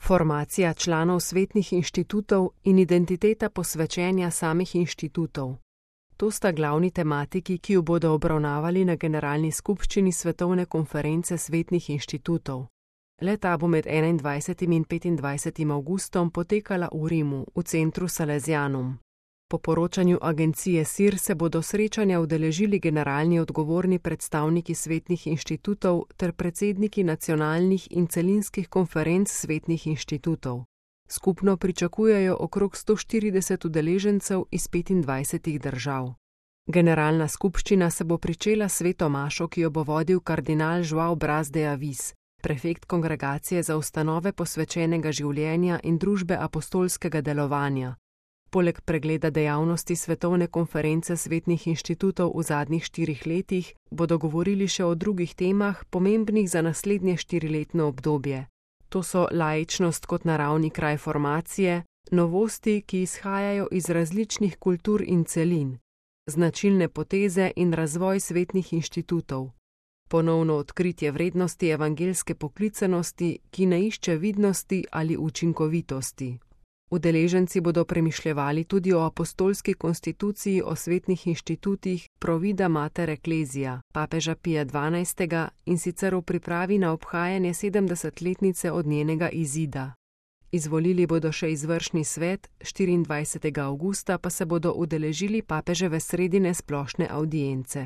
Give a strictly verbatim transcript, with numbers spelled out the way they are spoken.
formacija članov svetnih inštitutov in identiteta posvečenja samih inštitutov. To sta glavni tematiki, ki jo bodo obravnavali na generalni skupščini Svetovne konference svetnih inštitutov. Le-ta bo med enaindvajsetim in petindvajsetim avgustom potekala v Rimu, v centru Salesianum. Po poročanju agencije S I R se bodo srečanja udeležili generalni odgovorni predstavniki svetnih inštitutov ter predsedniki nacionalnih in celinskih konferenc svetnih inštitutov. Skupno pričakujejo okrog sto štirideset udeležencev iz petindvajsetih držav. Generalna skupščina se bo pričela s sveto mašo, ki jo bo vodil kardinal João Braz de Avis, prefekt kongregacije za ustanove posvečenega življenja in družbe apostolskega delovanja. Poleg pregleda dejavnosti Svetovne konference svetnih inštitutov v zadnjih štirih letih bodo govorili še o drugih temah, pomembnih za naslednje štiriletno obdobje. To so laičnost kot naravni kraj formacije, novosti, ki izhajajo iz različnih kultur in celin, značilne poteze in razvoj svetnih inštitutov, ponovno odkritje vrednosti evangeljske poklicanosti, ki ne išče vidnosti ali učinkovitosti. Udeleženci bodo premišljevali tudi o apostolski konstituciji o svetnih inštitutih Provida Mater Ecclesia, papeža Pija dvanajstega, in sicer v pripravi na obhajanje sedemdesetletnice od njenega izida. Izvolili bodo še izvršni svet, štiriindvajsetega avgusta pa se bodo udeležili papeževe sredine splošne avdience.